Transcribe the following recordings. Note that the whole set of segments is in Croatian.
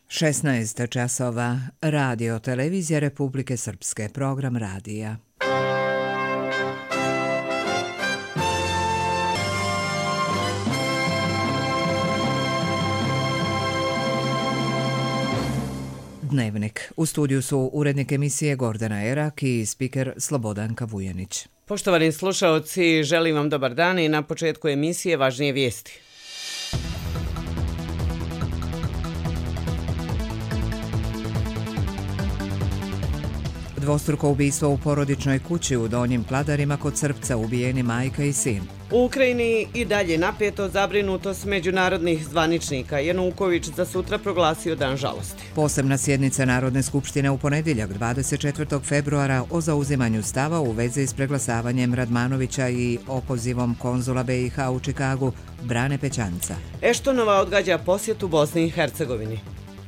16 časova. Radio Televizija Republike Srpske. Program radija. Dnevnik. U studiju su urednik emisije Gordana Erak i spiker Slobodanka Vujanić. Poštovani slušaoci, želim vam dobar dan i na početku emisije važnije vijesti. Dvostruko ubistvo u porodičnoj kući u Donjim Kladarima kod Srpca, ubijeni majka i sin. U Ukrajini i dalje napeto, zabrinutost međunarodnih zvaničnika. Januković za sutra proglasio dan žalosti. Posebna sjednica Narodne skupštine u ponedjeljak 24. februara o zauzimanju stava u vezi s preglasavanjem Radmanovića i opozivom konzula BiH u Čikagu Brane Pećanca. Eštonova odgađa posjetu Bosni i Hercegovini.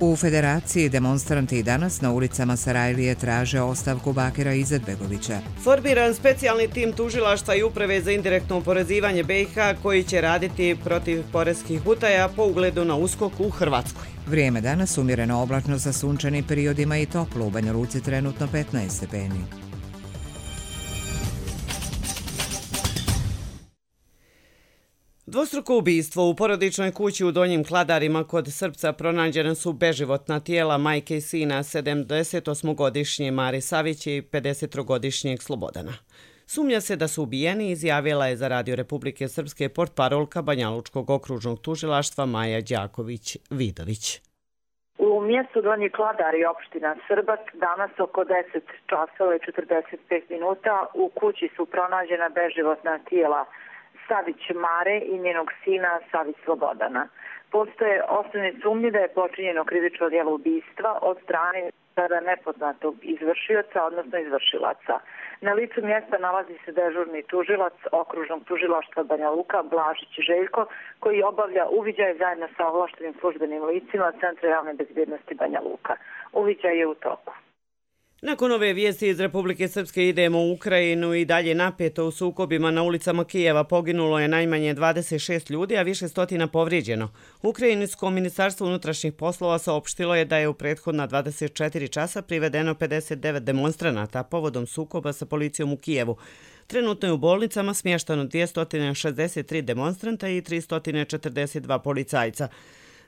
U Federaciji demonstranti i danas na ulicama Sarajlije traže ostavku Bakira Izetbegovića. Formiran specijalni tim tužilaštva i uprave za indirektno oporezivanje BiH koji će raditi protiv poreskih utaja po ugledu na USKOK u Hrvatskoj. Vrijeme danas umjereno, oblačno sa sunčanim periodima i toplo. U Banja Luci trenutno 15 stepeni. Dvostruko ubistvo u porodičnoj kući u Donjim Kladarima kod Srpca pronađena su beživotna tijela majke i sina 78-godišnje Mare Savić i 53-godišnjeg Slobodana. Sumnja se da su ubijeni, izjavila je za Radio Republike Srpske portparolka Banjalučkog okružnog tužilaštva Maja Đaković-Vidović. U mjestu Donji Kladari, opština Srbac, danas oko 10 časova i 45 minuta u kući su pronađena beživotna tijela Savić Mare i njenog sina Savić Slobodana. Postoje osnovne sumnje da je počinjeno krivično djelo ubistva od strane sada nepoznatog izvršioca, odnosno izvršilaca. Na licu mjesta nalazi se dežurni tužilac okružnog tužilaštva Banja Luka Blažić Željko, koji obavlja uviđaj zajedno sa ovlaštenim službenim licima Centra javne bezbjednosti Banja Luka. Uviđaj je u toku. Nakon ove vijesti iz Republike Srpske idemo u Ukrajinu i dalje napeto. U sukobima na ulicama Kijeva poginulo je najmanje 26 ljudi, a više stotina povrijeđeno. Ukrajinsko ministarstvo unutrašnjih poslova saopštilo je da je u prethodna 24 časa privedeno 59 demonstranata povodom sukoba sa policijom u Kijevu. Trenutno je u bolnicama smještano 263 demonstranta i 342 policajca.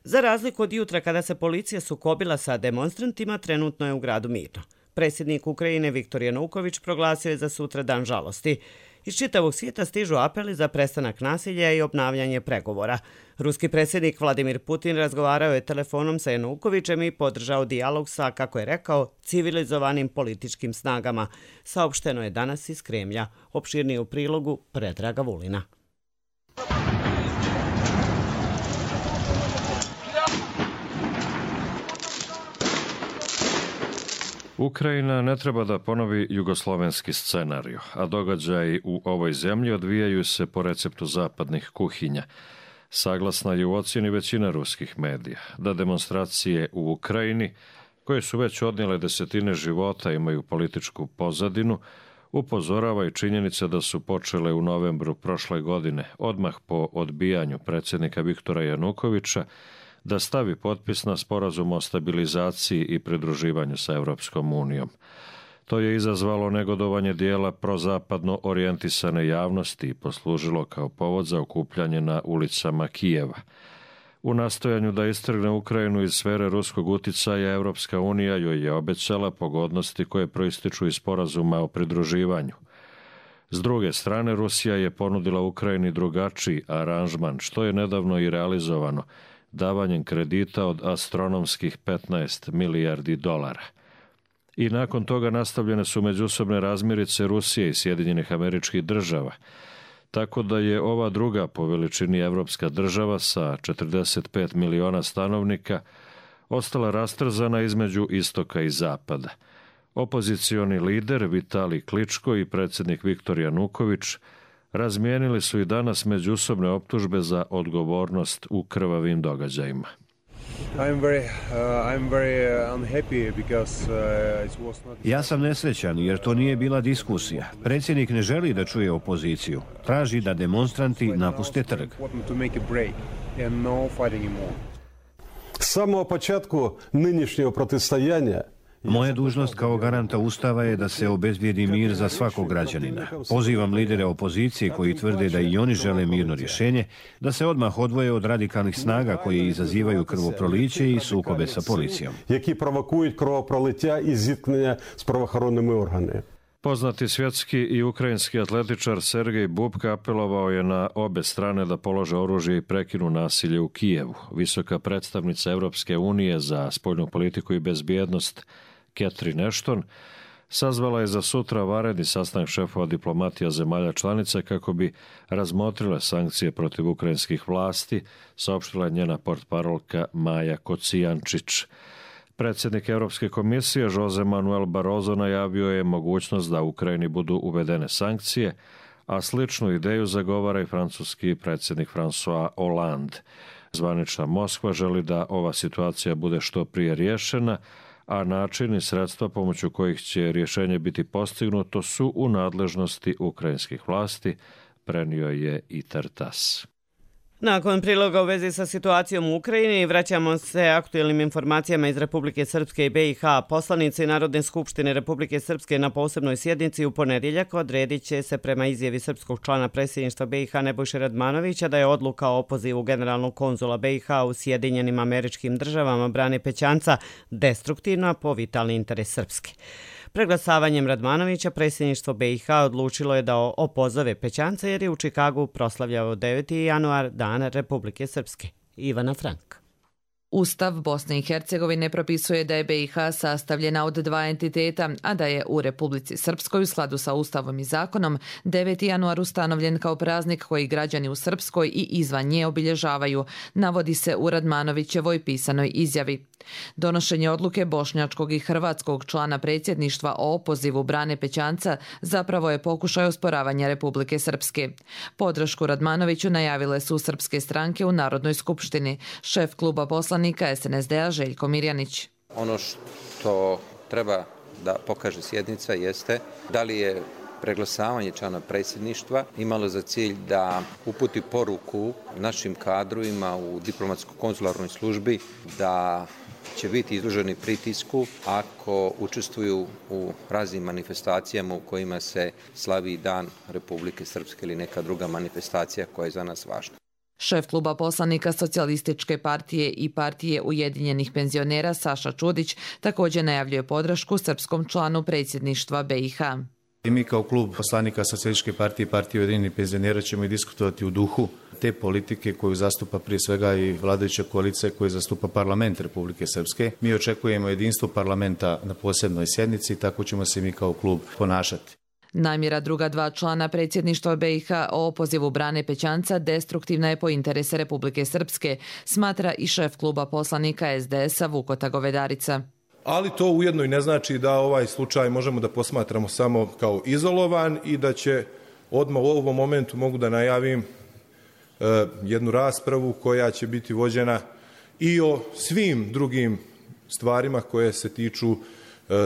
Za razliku od jutra kada se policija sukobila sa demonstrantima, trenutno je u gradu mirno. Predsjednik Ukrajine Viktor Januković proglasio je za sutra dan žalosti. Iz čitavog svijeta stižu apeli za prestanak nasilja i obnavljanje pregovora. Ruski predsjednik Vladimir Putin razgovarao je telefonom sa Janukovićem i podržao dijalog sa, kako je rekao, civilizovanim političkim snagama. Saopšteno je danas iz Kremlja. Opširnije u prilogu Predraga Vulina. Ukrajina ne treba da ponovi jugoslovenski scenarij, a događaji u ovoj zemlji odvijaju se po receptu zapadnih kuhinja. Saglasna je u ocjeni većina ruskih medija da demonstracije u Ukrajini, koje su već odnijele desetine života, imaju političku pozadinu, upozorava i činjenica da su počele u novembru prošle godine, odmah po odbijanju predsjednika Viktora Janukovića, da stavi potpis na sporazum o stabilizaciji i pridruživanju sa Europskom unijom. To je izazvalo negodovanje dijela prozapadno orijentisane javnosti i poslužilo kao povod za okupljanje na ulicama Kijeva. U nastojanju da istrgne Ukrajinu iz sfere ruskog uticaja, Europska unija joj je obećala pogodnosti koje proističu iz sporazuma o pridruživanju. S druge strane, Rusija je ponudila Ukrajini drugačiji aranžman, što je nedavno i realizovano, davanjem kredita od astronomskih 15 milijardi dolara. I nakon toga nastavljene su međusobne razmirice Rusije i Sjedinjenih Američkih Država, tako da je ova druga po veličini evropska država sa 45 miliona stanovnika ostala rastrzana između istoka i zapada. Opozicioni lider Vitalij Kličko i predsjednik Viktor Januković razmijenili su i danas međusobne optužbe za odgovornost u krvavim događajima. Ja sam nesrećan jer to nije bila diskusija. Predsjednik ne želi da čuje opoziciju. Traži da demonstranti napuste trg. С самого початку нынешнего противостояния Moja dužnost kao garanta Ustava je da se obezbijedi mir za svakog građanina. Pozivam lidere opozicije koji tvrde da i oni žele mirno rješenje, da se odmah odvoje od radikalnih snaga koji izazivaju krvoproliće i sukobe sa policijom. Які провокують кровопролиття і зіткнення з правоохоронними органами. Poznati svjetski i ukrajinski atletičar Sergej Bubka apelovao je na obe strane da polože oružje i prekinu nasilje u Kijevu. Visoka predstavnica Europske unije za spoljnu politiku i bezbjednost Catherine Ashton sazvala je za sutra vanredni sastanak šefova diplomatija zemalja članica kako bi razmotrile sankcije protiv ukrajinskih vlasti, saopštila je njena portparolka Maja Kocijančić. Predsjednik Europske komisije Jose Manuel Barroso najavio je mogućnost da u Ukrajini budu uvedene sankcije, a sličnu ideju zagovara i francuski predsjednik François Hollande. Zvanična Moskva želi da ova situacija bude što prije riješena, a način i sredstva pomoću kojih će rješenje biti postignuto su u nadležnosti ukrajinskih vlasti, prenio je i TASS. Nakon priloga u vezi sa situacijom u Ukrajini, vraćamo se aktuelnim informacijama iz Republike Srpske i BiH. Poslanici Narodne skupštine Republike Srpske na posebnoj sjednici u ponedjeljak odredit će se prema izjavi srpskog člana predsjedništva BiH Nebojše Radmanovića da je odluka o opozivu generalnog konzula BiH u Sjedinjenim Američkim Državama Brane Pećanca destruktivna po vitalni interes Srpske. Preglasavanjem Radmanovića predsjedništvo BiH odlučilo je da opozove Pećanca jer je u Čikagu proslavljao 9. januar Dan Republike Srpske. Ivana Frank. Ustav Bosne i Hercegovine propisuje da je BiH sastavljena od dva entiteta, a da je u Republici Srpskoj u skladu sa Ustavom i zakonom 9. januar ustanovljen kao praznik koji građani u Srpskoj i izvan nje obilježavaju, navodi se u Radmanovićevoj pisanoj izjavi. Donošenje odluke bošnjačkog i hrvatskog člana predsjedništva o opozivu Brane Pećanca zapravo je pokušaj osporavanja Republike Srpske. Podršku Radmanoviću najavile su srpske stranke u Narodnoj skupštini, šef kluba poslanika SNSD-a Željko Mirjanić. Ono što treba da pokaže sjednica jeste da li je preglasavanje člana predsjedništva imalo za cilj da uputi poruku našim kadrovima u diplomatsko-konzularnoj službi da će biti izloženi pritisku ako učestvuju u raznim manifestacijama u kojima se slavi Dan Republike Srpske ili neka druga manifestacija koja je za nas važna. Šef kluba poslanika Socijalističke partije i partije Ujedinjenih penzionera Saša Čudić također najavljuje podršku srpskom članu predsjedništva BiH. I mi kao klub poslanika Socijalističke partije i partije Ujedinjenih penzionera ćemo i diskutovati u duhu te politike koju zastupa prije svega i vladajuća koalicija koju zastupa parlament Republike Srpske. Mi očekujemo jedinstvo parlamenta na posebnoj sjednici i tako ćemo se mi kao klub ponašati. Namjera druga dva člana predsjedništva BiH o opozivu Brane Pećanca destruktivna je po interese Republike Srpske, smatra i šef kluba poslanika SDS-a Vukota Govedarica. Ali to ujedno i ne znači da ovaj slučaj možemo da posmatramo samo kao izolovan i da će odmah u ovom momentu mogu da najavim jednu raspravu koja će biti vođena i o svim drugim stvarima koje se tiču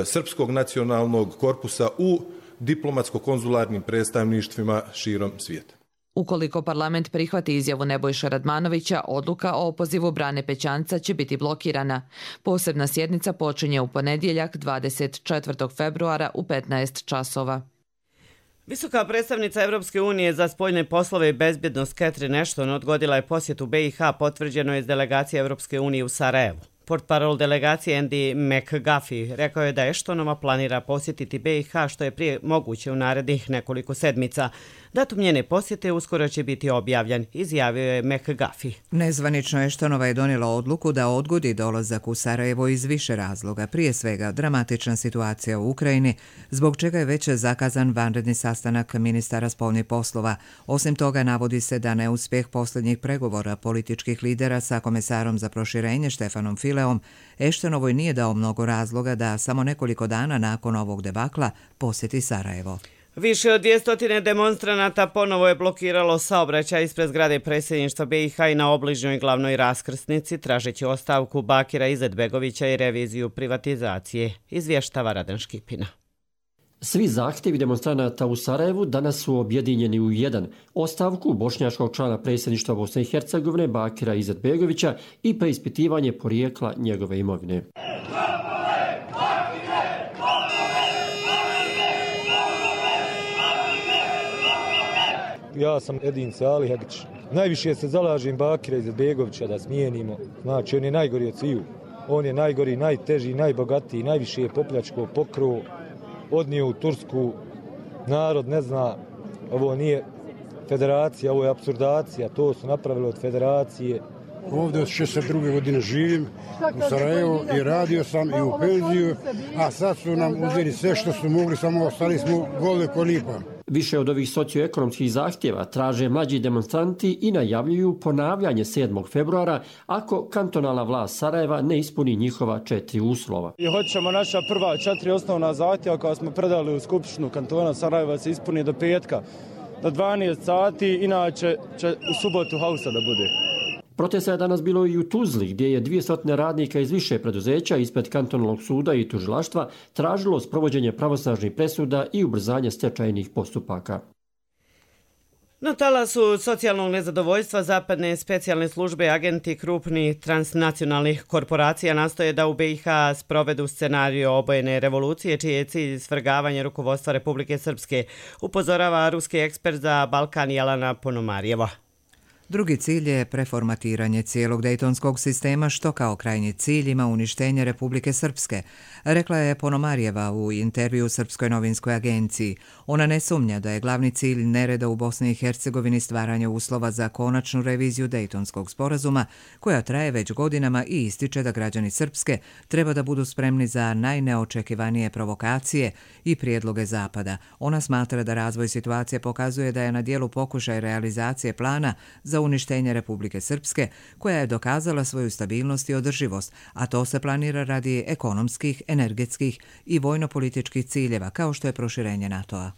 srpskog nacionalnog korpusa u diplomatsko-konzularnim predstavništvima širom svijeta. Ukoliko parlament prihvati izjavu Nebojše Radmanovića, odluka o opozivu Brane Pećanca će biti blokirana. Posebna sjednica počinje u ponedjeljak 24. februara u 15 časova. Visoka predstavnica Europske unije za spoljne poslove i bezbjednost Catherine Ashton odgodila je posjetu BiH, potvrđeno je iz delegacije Europske unije u Sarajevu. Portparol delegacije Andy McGuffey rekao je da Ashtonova planira posjetiti BiH što je prije moguće u narednih nekoliko sedmica. Datum njene posjete uskoro će biti objavljen, izjavio je McGuffey. Nezvanično Ashtonova je donijela odluku da odgodi dolazak u Sarajevo iz više razloga. Prije svega dramatična situacija u Ukrajini, zbog čega je već zakazan vanredni sastanak ministara spoljnih poslova. Osim toga navodi se da neuspjeh posljednjih pregovora političkih lidera sa komesarom za proširenje Štefanom Fileom Ashtonovoj nije dao mnogo razloga da samo nekoliko dana nakon ovog debakla posjeti Sarajevo. Više od 200 demonstranata ponovo je blokiralo saobraćaj ispred zgrade predsjedništva BiH i na obližnjoj glavnoj raskrsnici, tražeći ostavku Bakira Izetbegovića i reviziju privatizacije, izvještava Radan Škipina. Svi zahtjevi demonstranata u Sarajevu danas su objedinjeni u jedan: ostavku bošnjačkog člana predsjedništva Bosne i Hercegovine Bakira Izetbegovića i preispitivanje porijekla njegove imovine. Ja sam Edin Salihagić. Najviše se zalažem Bakira Izetbegovića da smijenimo. Znači, on je najgori od sviju. On je najgori, najteži, najbogatiji, najviše je popljačko, pokro, odnio u Tursku. Narod ne zna, ovo nije federacija, ovo je apsurdacija, to su napravili od federacije. Ovdje od 62. godine živim u Sarajevu i radio sam i u penziju, a sad su nam uzeli sve što su mogli, samo ostali smo gole ko lipa. Više od ovih socioekonomskih zahtjeva traže mlađi demonstranti i najavljuju ponavljanje 7. februara ako kantonalna vlast Sarajeva ne ispuni njihova 4 uslova. I hoćemo naša prva 4 osnovna zahtjeva koja smo predali u Skupštinu kantona Sarajeva se ispuni do petka, do 12 sati, inače će u subotu hausa da bude. Protesta je danas bilo i u Tuzli, gdje je 200 radnika iz više preduzeća ispred kantonalnog suda i tužilaštva tražilo sprovođenje pravosnažnih presuda i ubrzanje stečajnih postupaka. Na talasu socijalnog nezadovoljstva zapadne specijalne službe agenti krupnih transnacionalnih korporacija nastoje da u BiH sprovedu scenariju obojene revolucije, čiji je cilj svrgavanje rukovodstva Republike Srpske, upozorava ruski ekspert za Balkan Jelena Ponomarjeva. Drugi cilj je preformatiranje cijelog dejtonskog sistema, što kao krajnji cilj ima uništenje Republike Srpske, rekla je Ponomarjeva u intervju Srpskoj novinskoj agenciji. Ona ne sumnja da je glavni cilj nereda u Bosni i Hercegovini stvaranje uslova za konačnu reviziju dejtonskog sporazuma, koja traje već godinama i ističe da građani Srpske treba da budu spremni za najneočekivanije provokacije i prijedloge Zapada. Ona smatra da razvoj situacije pokazuje da je na dijelu pokušaj realizacije plana za uništenje Republike Srpske, koja je dokazala svoju stabilnost i održivost, a to se planira radi ekonomskih, energetskih i vojno-političkih ciljeva, kao što je proširenje NATO-a.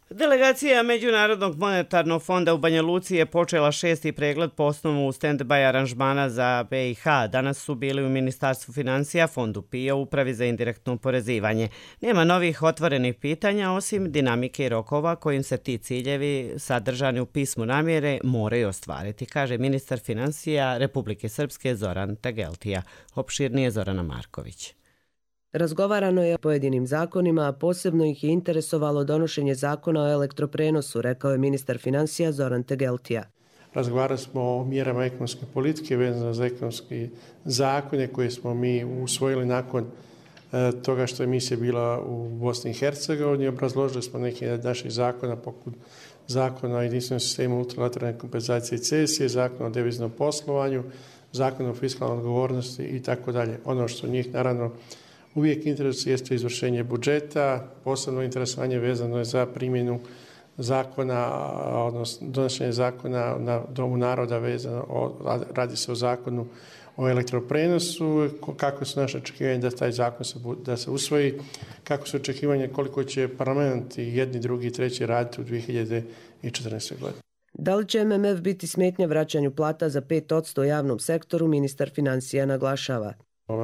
Delegacija Međunarodnog monetarnog fonda u Banja Luci je počela 6. pregled po osnovu stand-by aranžmana za BiH. Danas su bili u Ministarstvu financija, Fondu PIO, Upravi za indirektno oporezivanje. Nema novih otvorenih pitanja osim dinamike i rokova kojim se ti ciljevi sadržani u pismu namjere moraju ostvariti, kaže ministar financija Republike Srpske Zoran Tegeltija. Opširnije Zorana Marković. Razgovarano je o pojedinim zakonima, a posebno ih je interesovalo donošenje zakona o elektroprenosu, rekao je ministar financija Zoran Tegeltija. Razgovarali smo o mjerama ekonomske politike vezano za ekonomske zakone koje smo mi usvojili nakon toga što je misija bila u Bosni i Hercegovini. Obrazložili smo neke od naših zakona, poput zakona o jedinstvenom sistemu multilateralne kompenzacije i cesije, zakona o deviznom poslovanju, zakona o fiskalnoj odgovornosti i tako dalje. Ono što njih naravno uvijek interesuje jeste izvršenje budžeta, posebno interesovanje vezano je za primjenu zakona, odnosno donošenje zakona na Domu naroda vezano, radi se o zakonu o elektroprenosu, kako su naše očekivanje da taj zakon da se usvoji, kako su očekivanje koliko će parlament i jedni, drugi i treći raditi u 2014. godini. Da li će MMF biti smetnja vraćanju plata za 5% u javnom sektoru, ministar financija naglašava.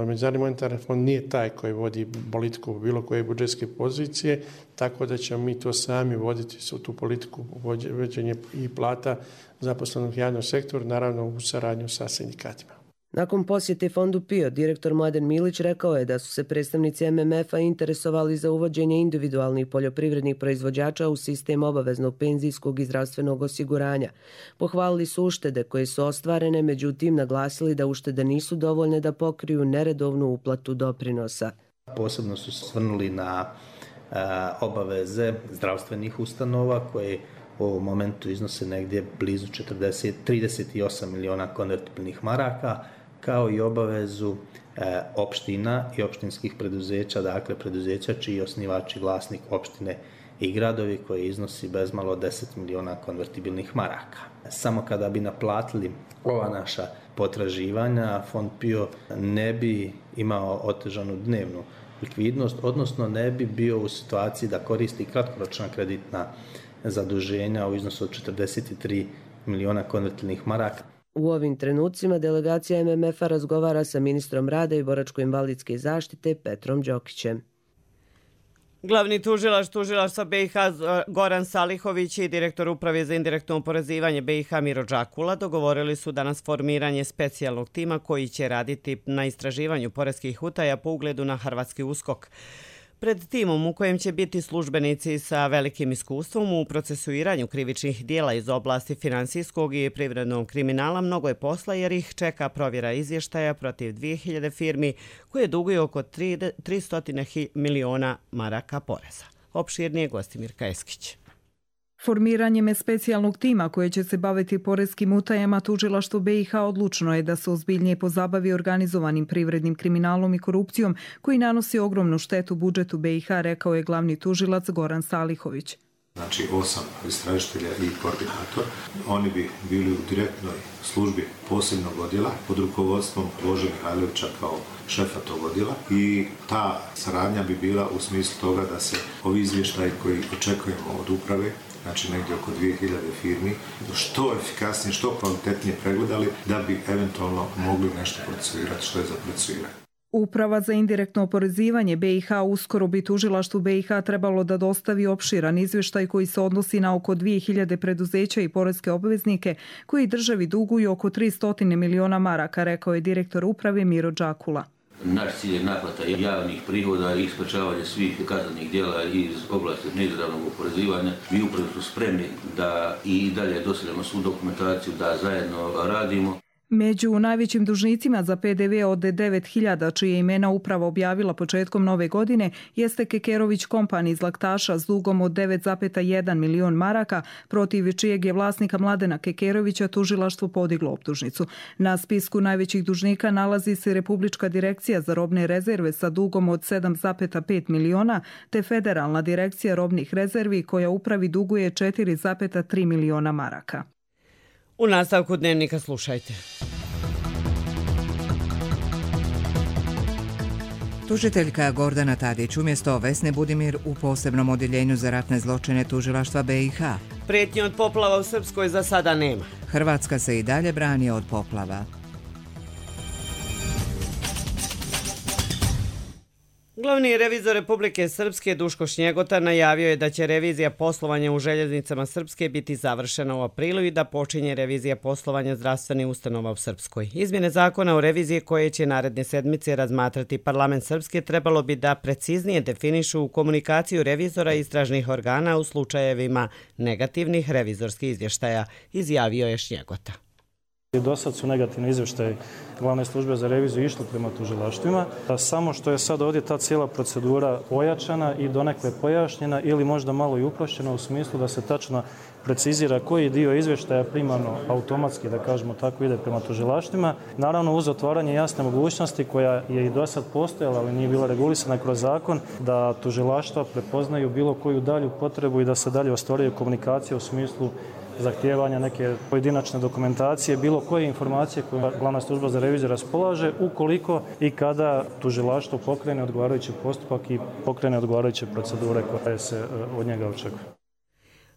Međunarodni monetarni fond nije taj koji vodi politiku bilo koje budžetske pozicije, tako da ćemo mi to sami voditi tu politiku vođenje i plata zaposlenog javnog sektora, naravno u saradnju sa sindikatima. Nakon posjete Fondu PIO, direktor Mladen Milić rekao je da su se predstavnici MMF-a interesovali za uvođenje individualnih poljoprivrednih proizvođača u sistem obaveznog penzijskog i zdravstvenog osiguranja. Pohvalili su uštede koje su ostvarene, međutim naglasili da uštede nisu dovoljne da pokriju neredovnu uplatu doprinosa. Posebno su se osvrnuli na obaveze zdravstvenih ustanova koje u ovom momentu iznose negdje blizu 38 miliona konvertibilnih maraka, kao i obavezu opština i opštinskih preduzeća, dakle preduzeća čiji je osnivač i vlasnik opštine i gradovi, koji iznosi bezmalo 10 miliona konvertibilnih maraka. Samo kada bi naplatili ova naša potraživanja, Fond PIO ne bi imao otežanu dnevnu likvidnost, odnosno ne bi bio u situaciji da koristi kratkoročna kreditna zaduženja u iznosu od 43 miliona konvertibilnih maraka. U ovim trenucima delegacija MMF-a razgovara sa ministrom rada i boračko-invalidske zaštite Petrom Đokićem. Glavni tužilac tužilaštva BiH Goran Salihović i direktor uprave za indirektno oporezivanje BiH Miro Džakula dogovorili su danas formiranje specijalnog tima koji će raditi na istraživanju poreskih utaja po ugledu na hrvatski USKOK. Pred timom u kojem će biti službenici sa velikim iskustvom u procesuiranju krivičnih dijela iz oblasti finansijskog i privrednog kriminala mnogo je posla jer ih čeka provjera izvještaja protiv 2000 firmi koje duguju oko 300 miliona maraka poreza. Opširnije Gostimirka Eskić. Formiranjem specijalnog tima koje će se baviti poreskim utajama, tužilaštvo BiH odlučno je da se ozbiljnije pozabavi organizovanim privrednim kriminalom i korupcijom koji nanosi ogromnu štetu budžetu BiH, rekao je glavni tužilac Goran Salihović. Znači 8 istražitelja i koordinator. Oni bi bili u direktnoj službi posebnog odjela pod rukovodstvom Bože Mihajlovića kao šefa tog odjela i ta saradnja bi bila u smislu toga da se ovi izvještaji koji očekujemo od uprave, znači negdje oko 2000 firmi, što efikasnije, što kvalitetnije pregledali da bi eventualno mogli nešto procesuirati što je za procesuiranje. Uprava za indirektno oporezivanje BiH uskoro bi tužilaštvu BiH trebalo da dostavi opširan izvještaj koji se odnosi na oko 2000 preduzeća i poreske obveznike koji državi duguju oko 300 miliona maraka, rekao je direktor uprave Miro Džakula. Naš cilj je naplata javnih prihoda i sprečavanje svih kaznenih djela iz oblasti neizravnog oporezivanja. Mi upravo su spremni da i dalje dostavljamo svu dokumentaciju, da zajedno radimo. Među najvećim dužnicima za PDV od 9.000, čije imena uprava objavila početkom nove godine, jeste Kekerović Company iz Laktaša s dugom od 9,1 milion maraka, protiv čijeg je vlasnika Mladena Kekerovića tužilaštvo podiglo optužnicu. Na spisku najvećih dužnika nalazi se Republička direkcija za robne rezerve sa dugom od 7,5 miliona, te Federalna direkcija robnih rezervi koja upravi duguje 4,3 miliona maraka. U nastavku dnevnika slušajte. Tužiteljka Gordana Tadić umjesto Vesne Budimir u posebnom odjeljenju za ratne zločine tužilaštva BiH. Prijetnje od poplava u Srpskoj za sada nema. Hrvatska se i dalje brani od poplava. Glavni revizor Republike Srpske Duško Šnjegota najavio je da će revizija poslovanja u željeznicama Srpske biti završena u aprilu i da počinje revizija poslovanja zdravstvenih ustanova u Srpskoj. Izmjene zakona o reviziji koje će naredne sedmice razmatrati parlament Srpske trebalo bi da preciznije definišu komunikaciju revizora i istražnih organa u slučajevima negativnih revizorskih izvještaja, izjavio je Šnjegota. Do sad su negativni izvještaji glavne službe za reviziju išli prema tužilaštvima, samo što je sad ovdje ta cijela procedura ojačana i donekle pojašnjena ili možda malo i uprošćena u smislu da se tačno precizira koji dio izvještaja primarno automatski, da kažemo tako, ide prema tužilaštvima. Naravno uz otvaranje jasne mogućnosti koja je i do sad postojala, ali nije bila regulisana kroz zakon, da tužilaštva prepoznaju bilo koju dalju potrebu i da se dalje ostvaruje komunikacija u smislu zahtijevanja neke pojedinačne dokumentacije, bilo koje informacije koje glavna služba za reviziju raspolaže, ukoliko i kada tužilaštvo pokrene odgovarajući postupak i pokrene odgovarajuće procedure koje se od njega očekuju.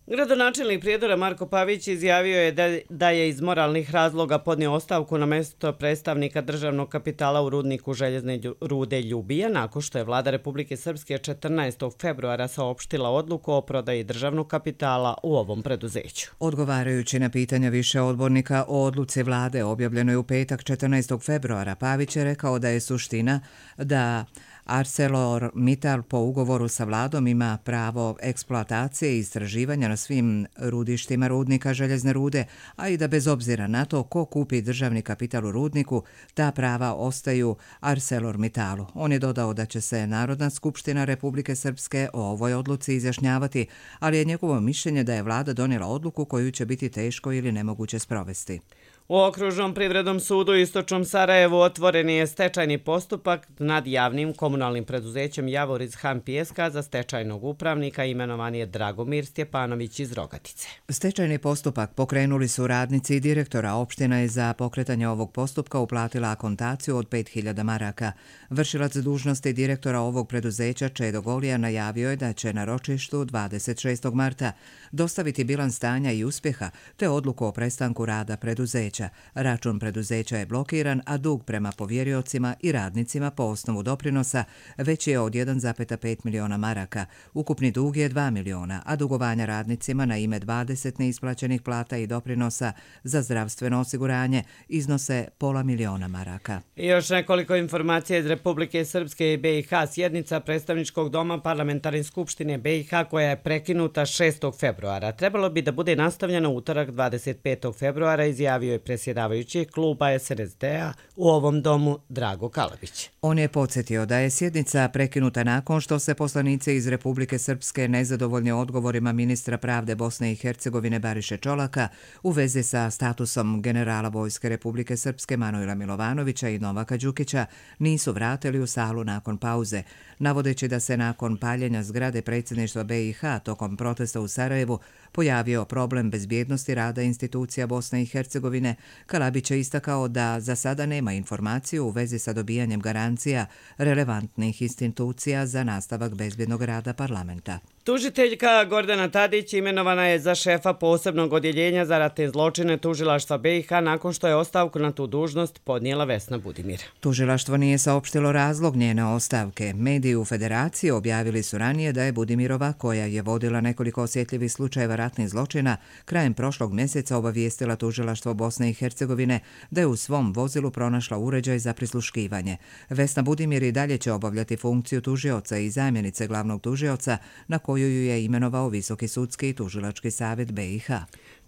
Gradonačelnik Prijedora Marko Pavić izjavio je da je iz moralnih razloga podnio ostavku na mjesto predstavnika državnog kapitala u rudniku željezne rude Ljubija nakon što je vlada Republike Srpske 14. februara saopštila odluku o prodaji državnog kapitala u ovom preduzeću. Odgovarajući na pitanja više odbornika o odluci vlade objavljenoj u petak 14. februara, Pavić je rekao da je suština da ArcelorMittal po ugovoru sa vladom ima pravo eksploatacije i istraživanja na svim rudištima rudnika željezne rude, a i da bez obzira na to ko kupi državni kapital u rudniku, ta prava ostaju ArcelorMittalu. On je dodao da će se Narodna skupština Republike Srpske o ovoj odluci izjašnjavati, ali je njegovo mišljenje da je vlada donijela odluku koju će biti teško ili nemoguće sprovesti. U Okružnom privrednom sudu u Istočnom Sarajevu otvoren je stečajni postupak nad javnim komunalnim preduzećem Javor iz Han Pijeska. Za stečajnog upravnika imenovan je Dragomir Stjepanović iz Rogatice. Stečajni postupak pokrenuli su radnici i direktora. Opština je za pokretanje ovog postupka uplatila akontaciju od 5.000 maraka. Vršilac dužnosti direktora ovog preduzeća Čedo Golija najavio je da će na ročištu 26. marta dostaviti bilans stanja i uspjeha te odluku o prestanku rada preduzeća. poduzeća. Račun preduzeća je blokiran, a dug prema povjeriocima i radnicima po osnovu doprinosa veći je od 1,5 miliona maraka. Ukupni dug je 2 miliona, a dugovanja radnicima na ime 20 neisplaćenih plata i doprinosa za zdravstveno osiguranje iznose pola miliona maraka. I još nekoliko informacija iz Republike Srpske i BiH. Sjednica predstavničkog doma Parlamentarne skupštine BiH koja je prekinuta 6. februara. Trebalo bi da bude nastavljena utorak 25. februara, izjavio je predsjedavajući kluba SNSD-a u ovom domu Drago Kalabić. On je podsjetio da je sjednica prekinuta nakon što se poslanici iz Republike Srpske nezadovoljni odgovorima ministra pravde Bosne i Hercegovine Bariše Čolaka u vezi sa statusom generala Vojske Republike Srpske Manojla Milovanovića i Novaka Đukića nisu vratili u salu nakon pauze, navodeći da se nakon paljenja zgrade predsjedništva BiH tokom protesta u Sarajevu pojavio problem bezbjednosti rada institucija Bosne i Hercegovine. Kalabić je istakao da za sada nema informaciju u vezi sa dobijanjem garancija relevantnih institucija za nastavak bezbjednog rada parlamenta. Tužiteljka Gordana Tadić imenovana je za šefa posebnog odjeljenja za ratne zločine Tužilaštva BiH nakon što je ostavku na tu dužnost podnijela Vesna Budimir. Tužilaštvo nije saopštilo razlog njene ostavke. Mediji u Federaciji objavili su ranije da je Budimirova, koja je vodila nekoliko osjetljivih slučajeva ratnih zločina, krajem prošlog mjeseca obavijestila Tužilaštvo Bosne i Hercegovine da je u svom vozilu pronašla uređaj za prisluškivanje. Vesna Budimir i dalje će obavljati funkciju tužioca i zamjenice glavnog tužioca na koju ju je imenovao Visoki sudski i tužilački savjet BiH.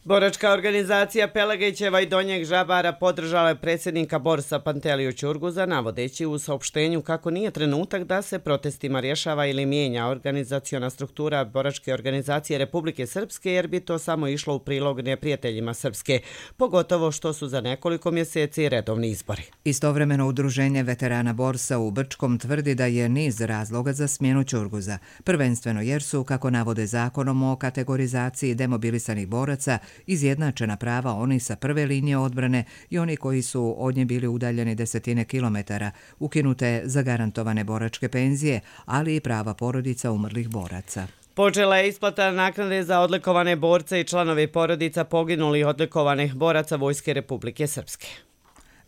Boračka organizacija Pelegićeva i Donjeg Žabara podržala je predsjednika Borisa Panteliju Ćurguza, navodeći u saopštenju kako nije trenutak da se protestima rješava ili mijenja organizaciona struktura Boračke organizacije Republike Srpske, jer bi to samo išlo u prilog neprijateljima Srpske, pogotovo što su za nekoliko mjeseci redovni izbori. Istovremeno udruženje veterana Borsa u Brčkom tvrdi da je niz razloga za smjenu Ćurguza, prvenstveno jer su, kako navode zakonom o kategorizaciji demobilisanih boraca, izjednačena prava oni sa prve linije odbrane i oni koji su od nje bili udaljeni desetine kilometara, ukinute zagarantovane boračke penzije, ali i prava porodica umrlih boraca. Počela je isplata naknade za odlikovane borce i članove porodica poginulih odlikovanih boraca Vojske Republike Srpske.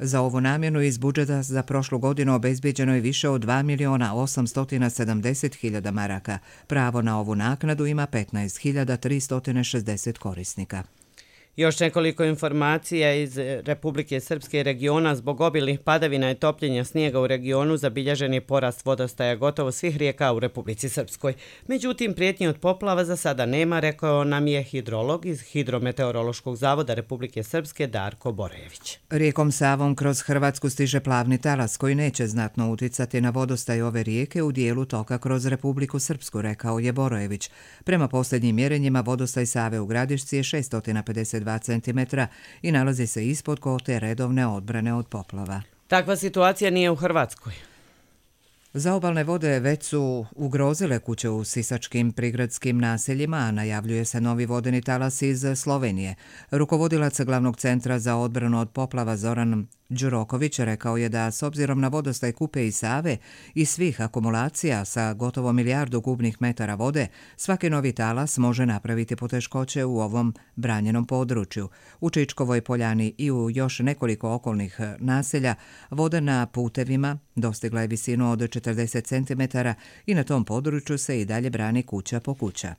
Za ovu namjenu iz budžeta za prošlu godinu obezbijeđeno je više od 2.870.000 maraka. Pravo na ovu naknadu ima 15.360 korisnika. Još nekoliko informacija iz Republike Srpske i regiona. Zbog obilnih padavina i topljenja snijega u regionu zabilježen je porast vodostaja gotovo svih rijeka u Republici Srpskoj. Međutim, prijetnji od poplava za sada nema, rekao nam je hidrolog iz Hidrometeorološkog zavoda Republike Srpske Darko Borejević. Rijekom Savom kroz Hrvatsku stiže plavni talas koji neće znatno uticati na vodostaj ove rijeke u dijelu toka kroz Republiku Srpsku, rekao je Borojević. Prema posljednjim mjerenjima vodostaj Save u Gradišci je 652 cm i nalazi se ispod kote redovne odbrane od poplava. Takva situacija nije u Hrvatskoj. Zaobalne vode već su ugrozile kuće u sisačkim prigradskim naseljima, a najavljuje se novi vodeni talas iz Slovenije. Rukovodilac glavnog centra za odbranu od poplava Zoran Đuroković rekao je da s obzirom na vodostaj Kupe i Save i svih akumulacija sa gotovo 1 milijardu kubnih metara vode, svaki novi talas može napraviti poteškoće u ovom branjenom području. U Čičkovoj Poljani i u još nekoliko okolnih naselja voda na putevima dostigla je visinu od 40 cm i na tom području se i dalje brani kuća po kuća.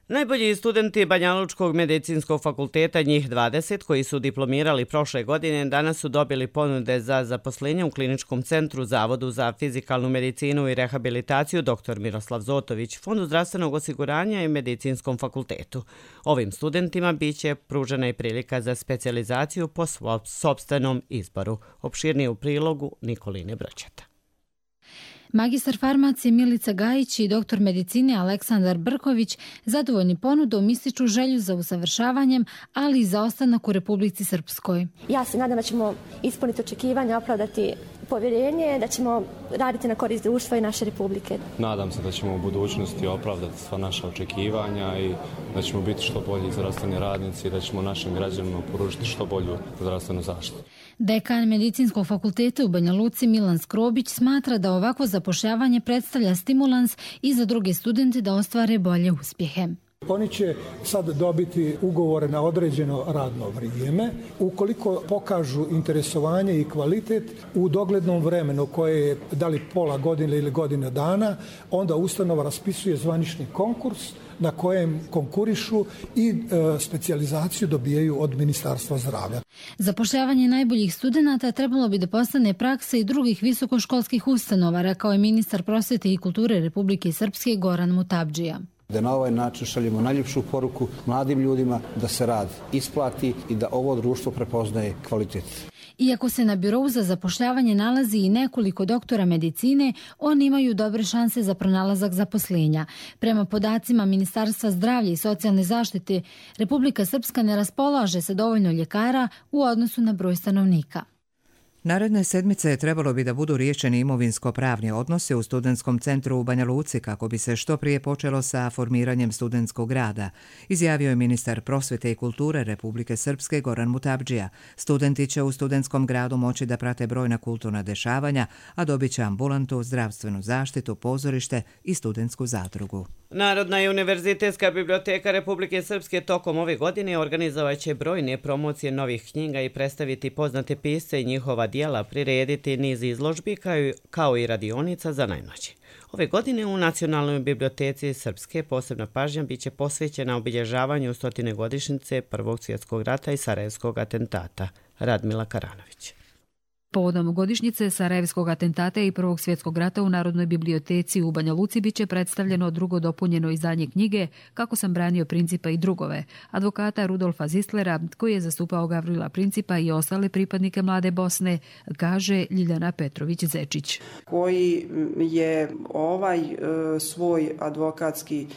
Najbolji studenti Banjalučkog medicinskog fakulteta, njih 20, koji su diplomirali prošle godine, danas su dobili ponude za zaposlenje u Kliničkom centru Zavodu za fizikalnu medicinu i rehabilitaciju dr. Miroslav Zotović, Fondu zdravstvenog osiguranja i Medicinskom fakultetu. Ovim studentima biće pružena i prilika za specijalizaciju po sopstvenom izboru. Opširnije u prilogu Nikoline Brčeta. Magistar farmacije Milica Gajić i doktor medicine Aleksandar Brković zadovoljni ponudom ističu želju za usavršavanjem, ali i za ostanak u Republici Srpskoj. Ja se nadam da ćemo ispuniti očekivanja, opravdati povjerenje, da ćemo raditi na korist društva i naše republike. Nadam se da ćemo u budućnosti opravdati sva naša očekivanja i da ćemo biti što bolji zdravstveni radnici i da ćemo našim građanima poručiti što bolju zdravstvenu zaštitu. Dekan Medicinskog fakulteta u Banja Luci Milan Skrobić smatra da ovako zapošljavanje predstavlja stimulans i za druge studente da ostvare bolje uspjehe. Oni će sad dobiti ugovore na određeno radno vrijeme. Ukoliko pokažu interesovanje i kvalitet u doglednom vremenu koje je da li pola godine ili godina dana, onda ustanova raspisuje zvanični konkurs na kojem konkurišu i specijalizaciju dobijaju od Ministarstva zdravlja. Zapošljavanje najboljih studenata trebalo bi da postane praksa i drugih visokoškolskih ustanova, rekao je ministar prosvete i kulture Republike Srpske Goran Mutabdžija. Da na ovaj način šaljemo najljepšu poruku mladim ljudima da se rad isplati i da ovo društvo prepoznaje kvalitet. Iako se na birou za zapošljavanje nalazi i nekoliko doktora medicine, oni imaju dobre šanse za pronalazak zaposlenja. Prema podacima Ministarstva zdravlja i socijalne zaštite, Republika Srpska ne raspolaže sa dovoljno ljekara u odnosu na broj stanovnika. Naredne sedmice trebalo bi da budu riješeni imovinsko-pravni odnose u studentskom centru u Banja Luci kako bi se što prije počelo sa formiranjem studentskog rada, izjavio je ministar prosvete i kulture Republike Srpske Goran Mutabdžija. Studenti će u studentskom gradu moći da prate brojna kulturna dešavanja, a dobit će ambulantu, zdravstvenu zaštitu, pozorište i studentsku zadrugu. Narodna i univerzitetska biblioteka Republike Srpske tokom ove godine organizovat će brojne promocije novih knjiga i predstaviti poznate pisce i njihova dijela, prirediti niz izložbi kao i radionica za najmlađe. Ove godine u Nacionalnoj biblioteci Srpske posebna pažnja biće posvećena obilježavanju 100. godišnjice Prvog svjetskog rata i Sarajevskog atentata. Radmila Karanović. Povodom godišnjice Sarajevskog atentata i Prvog svjetskog rata u Narodnoj biblioteci u Banja Luci biće predstavljeno drugo dopunjeno izdanje knjige Kako sam branio Principa i drugove, advokata Rudolfa Zistlera, koji je zastupao Gavrila Principa i ostale pripadnike Mlade Bosne, kaže Ljiljana Petrović-Zečić. Koji je ovaj svoj advokatski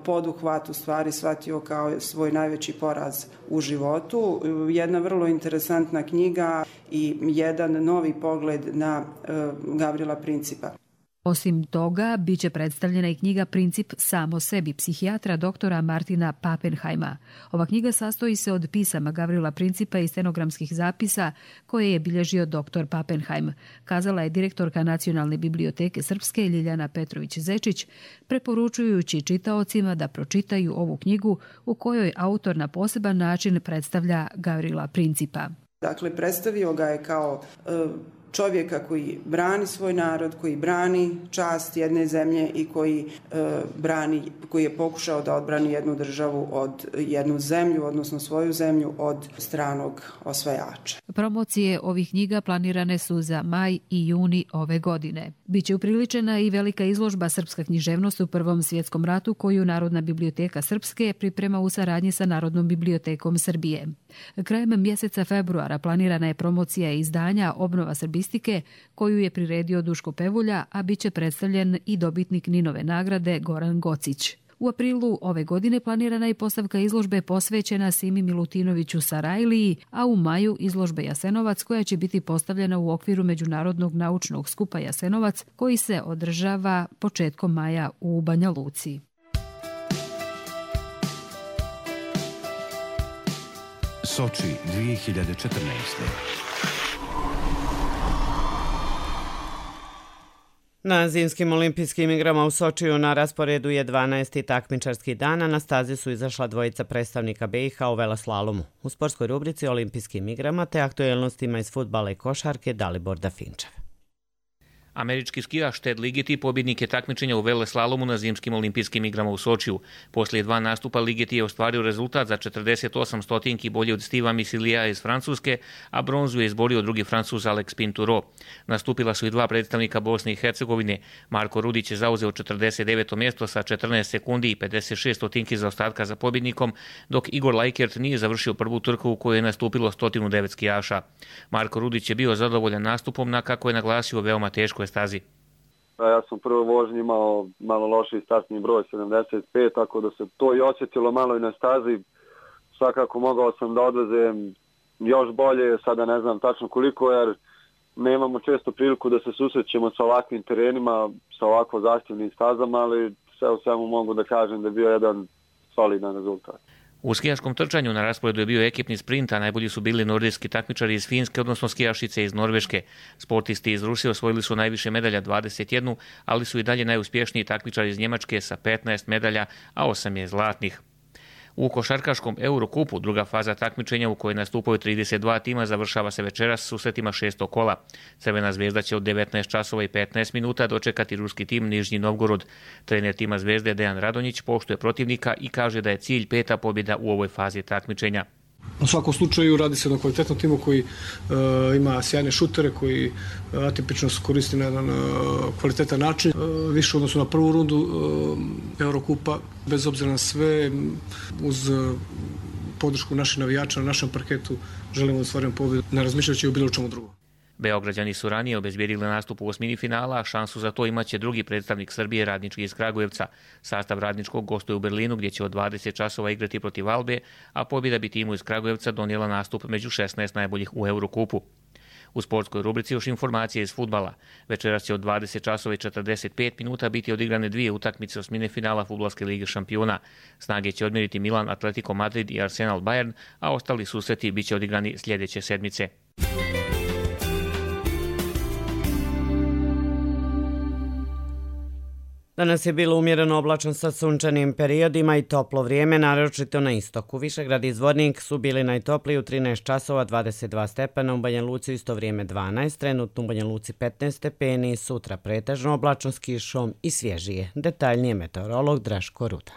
poduhvat u stvari shvatio kao svoj najveći poraz u životu. Jedna vrlo interesantna knjiga i jedan novi pogled na Gavrila Principa. Osim toga, biće predstavljena i knjiga Princip samo sebi, psihijatra doktora Martina Pappenheima. Ova knjiga sastoji se od pisama Gavrila Principa i stenogramskih zapisa koje je bilježio doktor Pappenheim, kazala je direktorka Nacionalne biblioteke Srpske Ljiljana Petrović-Zečić, preporučujući čitaocima da pročitaju ovu knjigu u kojoj autor na poseban način predstavlja Gavrila Principa. Dakle, predstavio ga je kao čovjeka koji brani svoj narod, koji brani čast jedne zemlje i koji je pokušao da odbrani jednu državu od jednu zemlju, odnosno svoju zemlju od stranog osvajača. Promocije ovih knjiga planirane su za maj i juni ove godine. Biće upriličena i velika izložba Srpska književnost u Prvom svjetskom ratu koju Narodna biblioteka Srpske priprema u saradnji sa Narodnom bibliotekom Srbije. Krajem mjeseca februara planirana je promocija izdanja Obnova srbistike koju je priredio Duško Pevulja, a bit će predstavljen i dobitnik Ninove nagrade Goran Gocić. U aprilu ove godine planirana je postavka izložbe posvećena Simi Milutinoviću Sarajliji, a u maju izložbe Jasenovac koja će biti postavljena u okviru Međunarodnog naučnog skupa Jasenovac koji se održava početkom maja u Banja Luci. Soči 2014. Na zimskim olimpijskim igrama u Sočiju na rasporedu je 12. takmičarski dan, a na stazi su izašla dvojica predstavnika BiH u veleslalomu. U sportskoj rubrici olimpijskim igrama te aktuelnostima iz fudbala i košarke Dalibor Dafinčev. Američki skijaš Ted Ligeti pobjednik je takmičenja u veleslalomu na zimskim olimpijskim igrama u Sočiju. Poslije 2 nastupa Ligeti je ostvario rezultat za 48 stotinki bolje od Steva Misilija iz Francuske, a bronzu je izborio drugi Francuz Alex Pinturo. Nastupila su i 2 predstavnika Bosne i Hercegovine. Marko Rudić je zauzeo 49. mjesto sa 14 sekundi i 56 stotinki zaostatka za pobjednikom, dok Igor Lajkert nije završio prvu trku u kojoj je nastupilo 109 skijaša. Marko Rudić je bio zadovoljan nastupom na, kako je naglasio, veoma teškoj stazi. Ja sam prvo vožnji imao malo lošiji startni broj 75, tako da se to i osjetilo malo i na stazi. Svakako mogao sam da odvezem još bolje, sada ne znam tačno koliko, jer nemamo često priliku da se susrećemo sa ovakvim terenima, sa ovako zahtjevnim stazama, ali sve u svemu mogu da kažem da je bio jedan solidan rezultat. U skijaškom trčanju na rasporedu je bio ekipni sprint, a najbolji su bili nordijski takmičari iz Finske, odnosno skijašice iz Norveške. Sportisti iz Rusije osvojili su najviše medalja 21, ali su i dalje najuspješniji takmičari iz Njemačke sa 15 medalja, a 8 je zlatnih. U košarkaškom Eurokupu druga faza takmičenja u kojoj nastupaju 32 tima završava se večeras susretima 6. kola. Crvena zvezda će od 19 časova i 15 minuta dočekati ruski tim Nižnji Novgorod. Trener tima Zvezde Dejan Radonjić poštuje protivnika i kaže da je cilj 5. pobjeda u ovoj fazi takmičenja. U svakom slučaju radi se o kvalitetnom timu koji ima sjajne šutere, koji atipično se koristi na jedan kvalitetan način. Više odnosno na prvu rundu Eurokupa, bez obzira na sve, uz podršku naših navijača na našem parketu, želimo da ostvarimo pobjedu, ne razmišljajući o bilo čemu drugom. Beograđani su ranije obezbijedili nastup u osmini finala, a šansu za to imaće drugi predstavnik Srbije, Radnički iz Kragujevca. Sastav Radničkog gostuje u Berlinu gdje će od 20 časova igrati protiv Albe, a pobjeda bi timu iz Kragujevca donijela nastup među 16 najboljih u Eurokupu. U sportskoj rubrici još informacije iz fudbala. Večeras će od 20 časova i 45 minuta biti odigrane dvije utakmice osmine finala Fudbalske lige šampiona. Snage će odmjeriti Milan, Atletico Madrid i Arsenal Bayern, a ostali susreti bit će odigrani sljedeće sedmice. Danas je bilo umjereno oblačno sa sunčanim periodima i toplo vrijeme, naročito na istoku. Višegrad i Zvornik su bili najtopliji u 13 časova 22 stepena, u Banja Luci u isto vrijeme 12, trenutno u Banja Luci 15 stepeni, sutra pretežno oblačno s kišom i svježije. Detaljnije meteorolog Draško Rudan.